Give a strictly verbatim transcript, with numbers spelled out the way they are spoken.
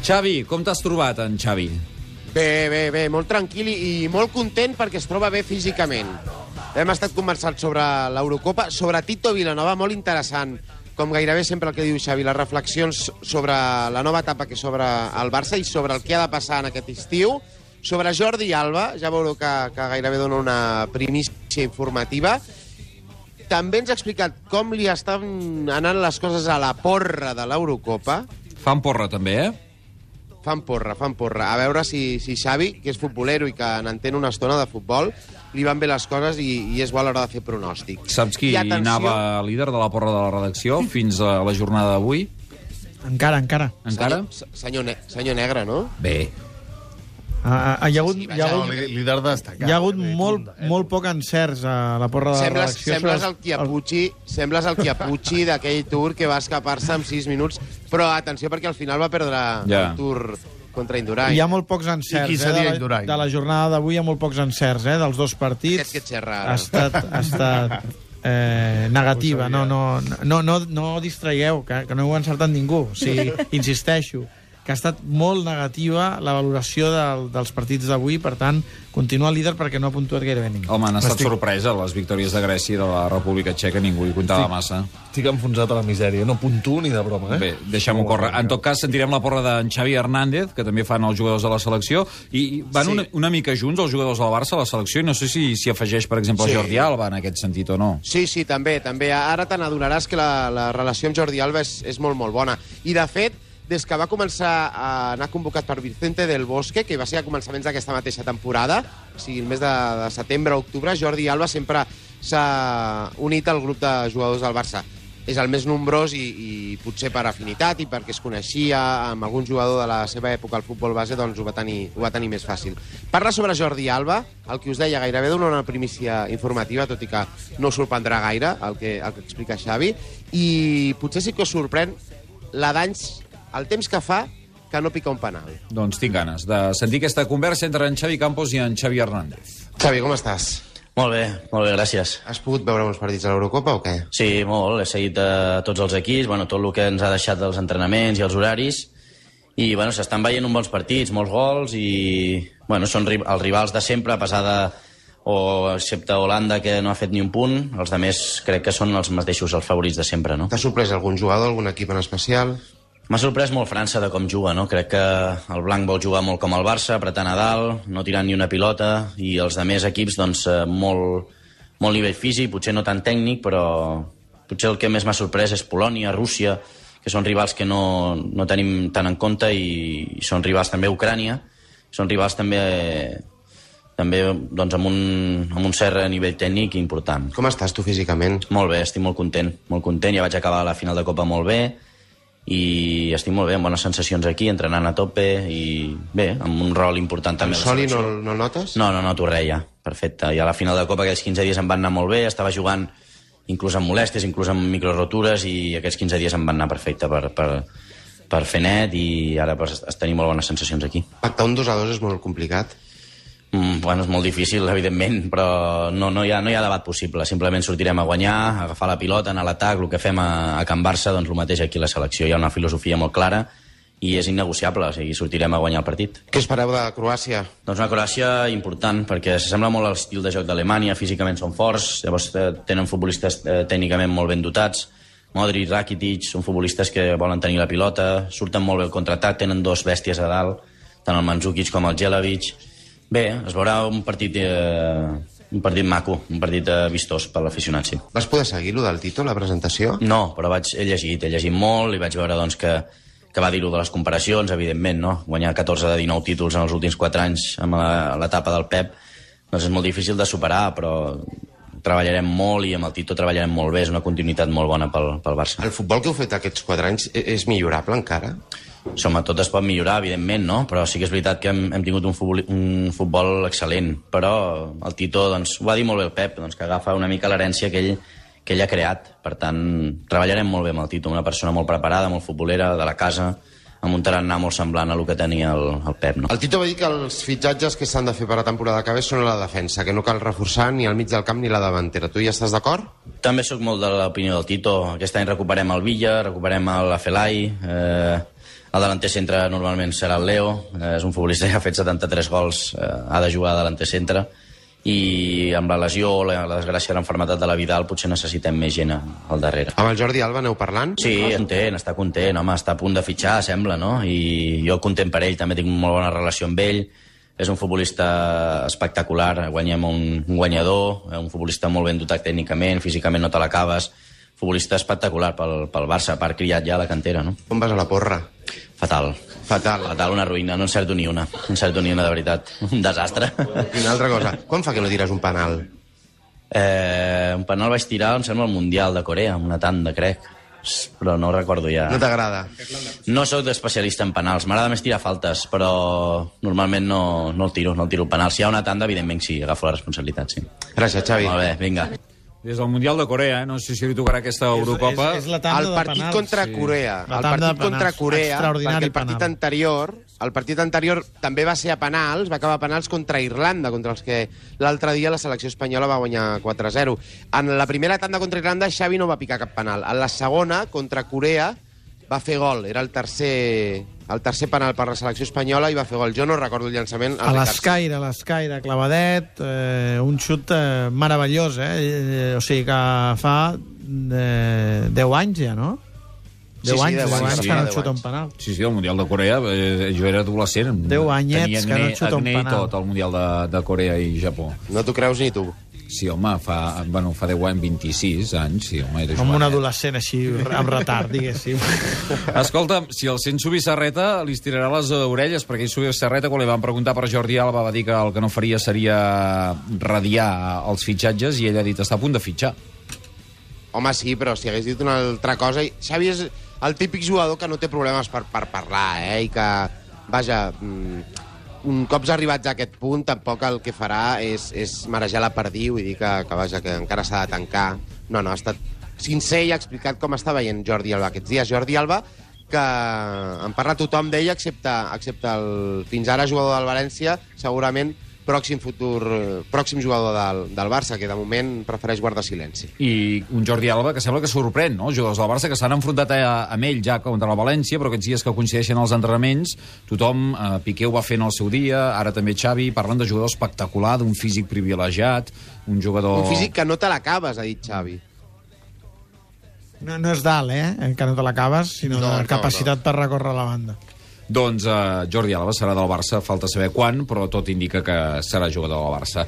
Xavi, com t'has trobat, en Xavi? Bé, bé, bé, molt tranquil i molt content perquè es troba bé físicament. Hem estat conversant sobre l'Eurocopa, sobre Tito Vilanova, molt interessant, com gairebé sempre el que diu Xavi, les reflexions sobre la nova etapa que s'obre al Barça i sobre el que ha de passar en aquest estiu. Sobre Jordi Alba, ja veureu que, que gairebé dona una primícia informativa. També ens ha explicat com li estan anant les coses a la porra de l'Eurocopa. Fan porra, també, eh? Fan porra, fan porra. A veure si, si Xavi, que és futbolero i que n'entén una estona de futbol, li van bé les coses i, i és bo a l'hora de fer pronòstic. Saps qui atenció... anava líder de la porra de la redacció fins a la jornada d'avui? Encara, encara. Encara? Senyor, senyor, ne senyor Negre, no? Bé. Ah, ah, hi ha hagut, Sí, hi ha hagut, No, líder destacat. hi ha hagut molt, molt poc encerts a la porra de la Sembles, redacció. sembles el Chiapucci, sembles el Chiapucci d'aquell Tour que va escapar-se en sis minuts, però atenció perquè al final va perdre Ja. el Tour contra Indurain. Hi ha molt pocs encerts. I qui eh, seria de, la, Indurain? de la jornada d'avui hi ha molt pocs encerts, eh, dels dos partits. Aquest que xerra Ha ara. estat, ha estat eh, negativa. No, no, no, no, no distraigueu, que, que no ho ha encertat ningú. O sigui, insisteixo, que ha estat molt negativa la valoració del, dels partits d'avui, per tant, continua líder perquè no ha puntuat gairebé ningú. Home, han estat Estic- sorpresa les victòries de Grècia i de la República Txeca, ningú hi comptava massa. Estic enfonsat a la misèria, no puntuo ni de broma, eh? Bé, deixem-ho córrer. En tot cas, sentirem la porra d'en Xavi Hernández, que també fan els jugadors de la selecció, i van Sí. una, una mica junts els jugadors del Barça a la selecció, i no sé si s'hi afegeix, per exemple, Sí. Jordi Alba en aquest sentit o no. Sí, sí, també, també. Ara te n'adonaràs que la, la relació amb Jordi Alba és, és molt, molt bona. I, de fet, des que va començar a anar convocat per Vicente del Bosque, que va ser a començaments d'aquesta mateixa temporada, o sigui, el mes de, de setembre o octubre, Jordi Alba sempre s'ha unit al grup de jugadors del Barça. És el més nombrós i, i potser per afinitat i perquè es coneixia amb algun jugador de la seva època al futbol base, doncs ho va tenir, ho va tenir més fàcil. Parla sobre Jordi Alba, el que us deia, gairebé dona una primícia informativa, tot i que no us sorprendrà gaire el que, el que explica Xavi, i potser sí que us sorprèn la d'anys, el temps que fa que no pica un penal. Doncs tinc ganes de sentir aquesta conversa entre en Xavi Campos i en Xavi Hernández. Xavi, com estàs? Molt bé, molt bé, gràcies. Has pogut veure uns partits de l'Eurocopa o què? Sí, molt, he seguit eh, tots els equips, bueno, tot el que ens ha deixat dels entrenaments i els horaris, i bueno, s'estan veient uns bons partits, molts gols, i bueno, són ri els rivals de sempre, a pesar de, o excepte Holanda, que no ha fet ni un punt, els altres crec que són els mateixos, els favorits de sempre, no? T'ha sorprès algun jugador, algun equip en especial? M'ha sorprès molt França de com juga, no? Crec que el blanc vol jugar molt com el Barça, apretant a dalt, no tirant ni una pilota, i els altres equips, doncs, eh, molt, molt nivell físic, potser no tan tècnic, però potser el que més m'ha sorprès és Polònia, Rússia, que són rivals que no, no tenim tant en compte, i, i són rivals també a Ucrània, són rivals també, també doncs, amb, un, amb un cert nivell tècnic important. Com estàs tu físicament? Molt bé, estic molt content, molt content, ja vaig acabar la final de Copa molt bé, i estic molt bé, amb bones sensacions aquí, entrenant a tope, i bé, amb un rol important també. El a la Soli selecció. no, no notes? No, no noto res ja, perfecte. I a la final de Copa aquells quinze dies em van anar molt bé, estava jugant inclús amb molèsties, inclús amb microrotures, i aquests quinze dies em van anar perfecte per, per, per fer net, i ara pues, tenim molt bones sensacions aquí. Pactar un dos a dos és molt complicat. Mm, bueno, és molt difícil, evidentment, però no, no, hi ha, no hi ha debat possible. Simplement sortirem a guanyar, a agafar la pilota, anar a l'atac, el que fem a, a Can Barça, doncs el mateix aquí a la selecció. Hi ha una filosofia molt clara i és innegociable, o sigui, sortirem a guanyar el partit. Què espereu de Croàcia? Doncs una Croàcia important, perquè s'assembla molt a l'estil de joc d'Alemanya, físicament són forts, llavors eh, tenen futbolistes eh, tècnicament molt ben dotats, Modric, Rakitic, són futbolistes que volen tenir la pilota, surten molt bé el contraatac, tenen dos bèsties a dalt, tant el Mandzukic com el Jelavic. Bé, es veurà un partit, eh, un partit maco, un partit eh, vistós per l'aficionat, sí. Vas poder seguir lo del Tito, la presentació? No, però vaig, he llegit, he llegit molt i vaig veure doncs, que, que va dir-ho de les comparacions, evidentment, no? Guanyar catorze de dinou títols en els últims quatre anys amb l'etapa del Pep, doncs és molt difícil de superar, però treballarem molt i amb el Tito treballarem molt bé, és una continuïtat molt bona pel, pel Barça. El futbol que heu fet aquests quatre anys e- és millorable encara? Som, tot es pot millorar, evidentment, no? Però sí que és veritat que hem, hem tingut un futbol, un futbol excel·lent. Però el Tito, doncs, ho va dir molt bé el Pep, doncs, que agafa una mica l'herència que ell, que ell ha creat. Per tant, treballarem molt bé amb el Tito, una persona molt preparada, molt futbolera, de la casa, amb un tarannà molt semblant a el que tenia el, el Pep, no? El Tito va dir que els fitxatges que s'han de fer per a la temporada que ve són a la defensa, que no cal reforçar ni al mig del camp ni la davantera. Tu hi estàs d'acord? També sóc molt de l'opinió del Tito. Aquest any recuperem el Villa, recuperem el Afelai, eh, El delanter centre normalment serà el Leo, eh, és un futbolista que ha fet setanta-tres gols, eh, ha de jugar de delanter centre, i amb la lesió o la, la desgràcia de l'enfermetat de la Vidal potser necessitem més gent al darrere. Amb el Jordi Alba aneu parlant? Sí, content, està content, home, està a punt de fitxar, sembla, no? I jo content per ell, també tinc molt bona relació amb ell, és un futbolista espectacular, guanyem un, un guanyador, un futbolista molt ben dotat tècnicament, físicament no te l'acabes, futbolista espectacular pel, pel Barça, a part criat ja a la cantera, no? Com vas a la porra? Fatal. Fatal. Fatal, una ruïna, no encerto ni una. No encerto ni una, de veritat. Un desastre. I una altra cosa, quan fa que no tires un penal? Eh, un penal vaig tirar, em sembla, al Mundial de Corea, una tanda, crec. Però no recordo ja. No t'agrada? No sóc especialista en penals, m'agrada més tirar faltes, però normalment no, no el tiro, no el tiro penal. Si hi ha una tanda, evidentment sí, agafo la responsabilitat, sí. Gràcies, Xavi. Molt bé, vinga. Des del Mundial de Corea, eh? No sé si li tocarà aquesta Eurocopa. És, és, és la tanda El de partit penals. contra Sí. Corea. La El tanda de partit contra penals. Corea, Extraordinari perquè el partit penal. anterior, el partit anterior també va ser a penals, va acabar a penals contra Irlanda, contra els que l'altre dia la selecció espanyola va guanyar quatre a zero. En la primera tanda contra Irlanda, Xavi no va picar cap penal. En la segona, contra Corea, va fer gol. Era el tercer, el tercer penal per la selecció espanyola i va fer gol. Jo no recordo el llançament. A l'escaire, a l'escaire, clavadet, eh, un xut eh, meravellós, eh? eh? O sigui que fa eh, deu anys ja, no? Sí, deu sí, anys, deu deu anys, anys sí, que no deu xuta un anys. penal. Sí, sí, el Mundial de Corea, eh, jo era adolescent. Deu anyets Tenia que no acné- xuta un acné i penal. tot, el Mundial de, de Corea i Japó. No t'ho creus ni tu. Sí, home, fa, bueno, fa deu anys, vint-i-sis anys, sí, home, era Com un jovenet. adolescent així, amb retard, diguéssim. Escolta'm, si el sent Subissarreta, li estirarà les orelles, perquè ell Subissarreta, quan li van preguntar per Jordi Alba, va dir que el que no faria seria radiar els fitxatges, i ell ha dit, està a punt de fitxar. Home, sí, però si hagués dit una altra cosa... Xavi és el típic jugador que no té problemes per, per parlar, eh? I que, vaja, un cops arribats a aquest punt, tampoc el que farà és, és marejar la perdiu i dir que, que, vaja, que encara s'ha de tancar. No, no, ha estat sincer i ha explicat com està veient Jordi Alba aquests dies. Jordi Alba, que en parla tothom d'ell, excepte, excepte el fins ara jugador del València, segurament pròxim futur, pròxim jugador del, del Barça, que de moment prefereix guardar silenci. I un Jordi Alba que sembla que sorprèn, no? Els jugadors del Barça que s'han enfrontat a, amb ell ja contra la València, però aquests dies que coincideixen els entrenaments, tothom, eh, Piqué ho va fer en el seu dia, ara també Xavi, parlen de jugador espectacular, d'un físic privilegiat, un jugador... Un físic que no te l'acabes, ha dit Xavi. No, no és dalt, eh? Que no te l'acabes, sinó No, no, de no, capacitat no. per recórrer la banda. Doncs eh, Jordi Alba serà del Barça, falta saber quan, però tot indica que serà jugador del Barça.